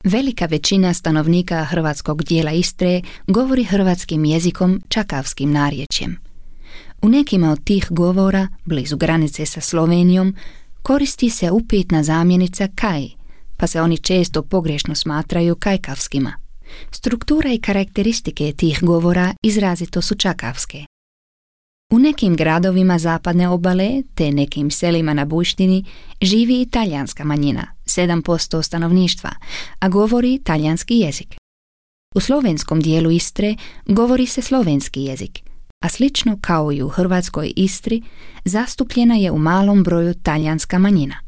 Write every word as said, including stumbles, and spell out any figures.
Velika većina stanovnika hrvatskog dijela Istre govori hrvatskim jezikom čakavskim narječjem. U nekima od tih govora, blizu granice sa Slovenijom, koristi se upitna zamjenica kaj, pa se oni često pogrešno smatraju kajkavskima. Struktura i karakteristike tih govora izrazito su čakavske. U nekim gradovima zapadne obale, te nekim selima na Bujštini, živi i talijanska manjina, sedam posto stanovništva, a govori talijanski jezik. U slovenskom dijelu Istre govori se slovenski jezik, a slično kao i u hrvatskoj Istri, zastupljena je u malom broju talijanska manjina.